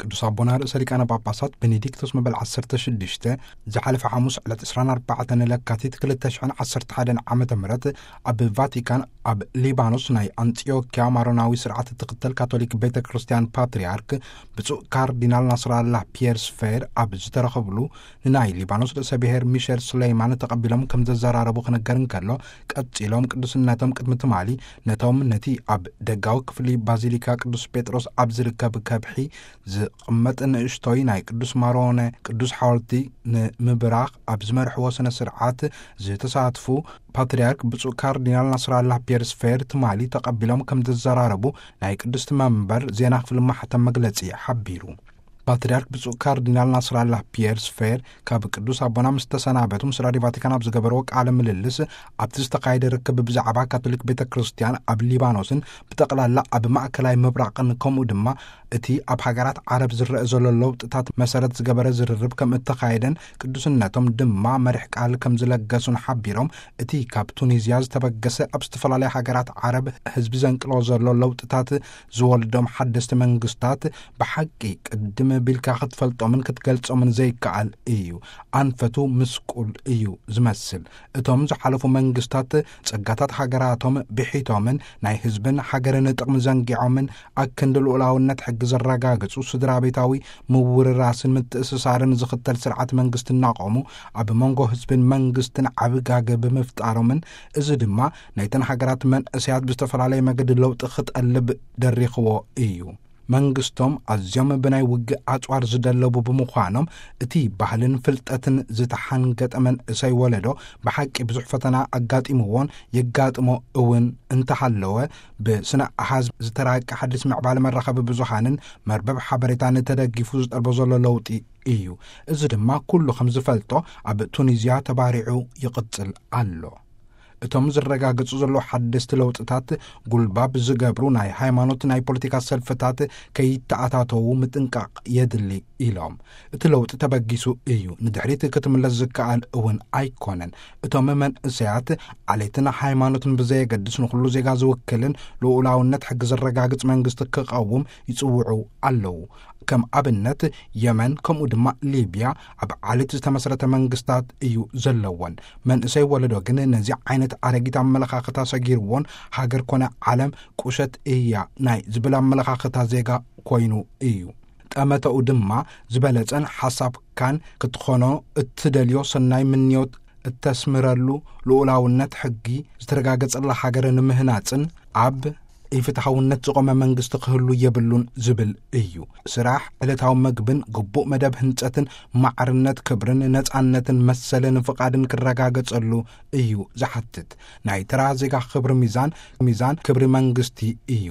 ቅዱስ ኣቦና ርእሰ ሊቃነ ጳጳሳት ቤኔዲክቶስ መበል ዓሰርተ ሽዱሽተ ዝሓለፈ ሓሙስ ዕለት ዕስራን ኣርባዕተን ለካቲት ክልተ ሽሕን ዓሰርተ ሓደን ዓመተ ምህረት ኣብ ቫቲካን ኣብ ሊባኖስ ናይ ኣንጢዮኪያ ማሮናዊ ስርዓት እትኽተል ካቶሊክ ቤተ ክርስቲያን ፓትርያርክ ብፁዕ ካርዲናል ናስራላ ፒየር ስፌር ኣብ ዝተረኸብሉ፣ ንናይ ሊባኖስ ርእሰ ብሔር ሚሸል ሱለይማን ተቐቢሎም ከም ዘዘራረቡ ክነገር እንከሎ፣ ቀጺሎም ቅዱስነቶም ቅድሚ ትማሊ ነቶም ነቲ ኣብ ደጋዊ ክፍሊ ባዚሊካ ቅዱስ ጴጥሮስ ኣብ ዝርከብ ከብሒ ዝቕመጥ ንእሽቶይ ናይ ቅዱስ ማሮነ ቅዱስ ሓወልቲ ንምብራኽ ኣብ ዝመርሕዎ ስነ ስርዓት ዝተሳትፉ ፓትርያርክ ብፁዕ ካርዲናል ናስራላ ፒየር ስፌር ትማሊ ተቐቢሎም ከም ዘዘራረቡ ናይ ቅድስቲ መንበር ዜና ክፍሊ ማሕተም መግለጺ ሓቢሩ። ፓትርያርክ ብፁዕ ካርዲናል ናስራላ ፒየር ስፌር ካብ ቅዱስ ኣቦና ምስ ተሰናበቱ ምስ ራድዮ ቫቲካን ኣብ ዝገበርዎ ቃለ ምልልስ፣ ኣብቲ ዝተኻየደ ርክብ ብዛዕባ ካቶሊክ ቤተ ክርስቲያን ኣብ ሊባኖስን ብጠቕላላ ኣብ ማእከላይ ምብራቕን ከምኡ ድማ እቲ ኣብ ሃገራት ዓረብ ዝረአ ዘሎ ለውጥታት መሰረት ዝገበረ ዝርርብ ከም እተኻየደን ቅዱስነቶም ድማ መሪሕ ቃል ከም ዝለገሱን ሓቢሮም፣ እቲ ካብ ቱኒዝያ ዝተበገሰ ኣብ ዝተፈላለያ ሃገራት ዓረብ ህዝቢ ዘንቅሎ ዘሎ ለውጥታት ዝወልዶም ሓደስቲ መንግስታት ብሓቂ ቅድም ቢልካ ክትፈልጦምን ክትገልጾምን ዘይከኣል እዩ። ኣንፈቱ ምስቁል እዩ ዝመስል። እቶም ዝሓለፉ መንግስታት ጸጋታት ሃገራቶም ብሒቶምን ናይ ህዝብን ሃገርን ጥቕሚ ዘንጊዖምን ኣክንዲ ልኡላውነት ሕጊ ዘረጋግጹ ስድራ ቤታዊ ምውርራስን ምትእስሳርን ዝኽተል ስርዓት መንግስቲ እናቖሙ ኣብ መንጎ ህዝብን መንግስትን ዓብጋገ ብምፍጣሮምን፣ እዚ ድማ ናይተን ሃገራት መንእሰያት ብዝተፈላለየ መገዲ ለውጢ ክጠልብ ደሪኽዎ እዩ። መንግስቶም ኣዝዮም ብናይ ውግእ ኣጽዋር ዝደለቡ ብምዃኖም፣ እቲ ባህልን ፍልጠትን ዝተሓንገጠ መንእሰይ ወለዶ ብሓቂ ብዙሕ ፈተና ኣጋጢምዎን የጋጥሞ እውን እንተሃለወ፣ ብስነ ኣሃዝ ዝተራቀ ሓድሽ ምዕባለ መራኸቢ ብዙሃንን መርበብ ሓበሬታን ተደጊፉ ዝጠልቦ ዘሎ ለውጢ እዩ። እዚ ድማ ኩሉ ከም ዝፈልጦ ኣብ ቱኒዝያ ተባሪዑ ይቕጽል ኣሎ። እቶም ዝረጋገጹ ዘለዉ ሓደስቲ ለውጥታት፣ ጉልባብ ዝገብሩ ናይ ሃይማኖት፣ ናይ ፖለቲካ ሰልፍታት ከይተኣታተዉ ምጥንቃቕ የድሊ ኢሎም። እቲ ለውጢ ተበጊሱ እዩ፣ ንድሕሪት ክትምለስ ዝከኣል እውን ኣይኮነን። እቶም መንእሰያት፣ ዓሌትን ሃይማኖትን ብዘየገድስ፣ ንኹሉ ዜጋ ዝውክልን ልኡላውነት ሕጊ ዘረጋግጽ መንግስቲ ክቐውም ይጽውዑ ኣለዉ። ከም ኣብነት፣ የመን ከምኡ ድማ ሊብያ ኣብ ዓሌት ዝተመስረተ መንግስታት እዩ ዘለወን። መንእሰይ ወለዶ ግን ነዚ ዓይነት ኣረጊት ኣመለኻኽታ ሰጊርዎን፣ ሃገር ኮነ ዓለም ቁሸት እያ ናይ ዝብል ኣመለኻኽታ ዜጋ ኮይኑ እዩ። ጠመተኡ ድማ፣ ዝበለጸን ሓሳብካን ክትኾኖ እትደልዮ ሰናይ ምንዮት እተስምረሉ፣ ልኡላውነት ሕጊ ዝተረጋገጸላ ሃገር ንምህናጽን ኣብ ኢፍትሓውነት ዝቖመ መንግስቲ ክህሉ የብሉን ዝብል እዩ። ስራሕ፣ ዕለታዊ መግብን ግቡእ መደብ ህንጸትን ማዕርነት፣ ክብርን ነጻነትን መሰልን ፍቓድን ክረጋገጸሉ እዩ ዝሓትት። ናይ ተራ ዜጋ ክብሪ ሚዛን፣ ሚዛን ክብሪ መንግስቲ እዩ።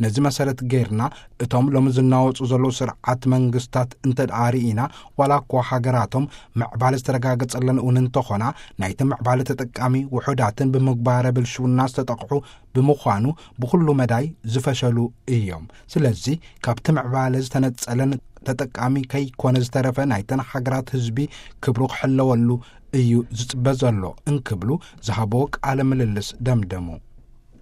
ነዚ መሰረት ጌርና፣ እቶም ሎሚ ዝናወጹ ዘለዉ ስርዓት መንግስታት እንተ ደኣ ርኢና፣ ዋላ እኳ ሃገራቶም ምዕባለ ዝተረጋገጸለን እውን እንተኾና፣ ናይቲ ምዕባለ ተጠቃሚ ውሑዳትን ብምግባረ ብልሽውና ዝተጠቕሑ ብምዃኑ፣ ብኹሉ መዳይ ዝፈሸሉ እዮም። ስለዚ፣ ካብቲ ምዕባለ ዝተነጸለን ተጠቃሚ ከይኮነ ዝተረፈ ናይተን ሃገራት ህዝቢ ክብሩ ክሕለወሉ እዩ ዝጽበ ዘሎ እንክብሉ ዝሃቦ ቃለ ምልልስ ደምደሙ።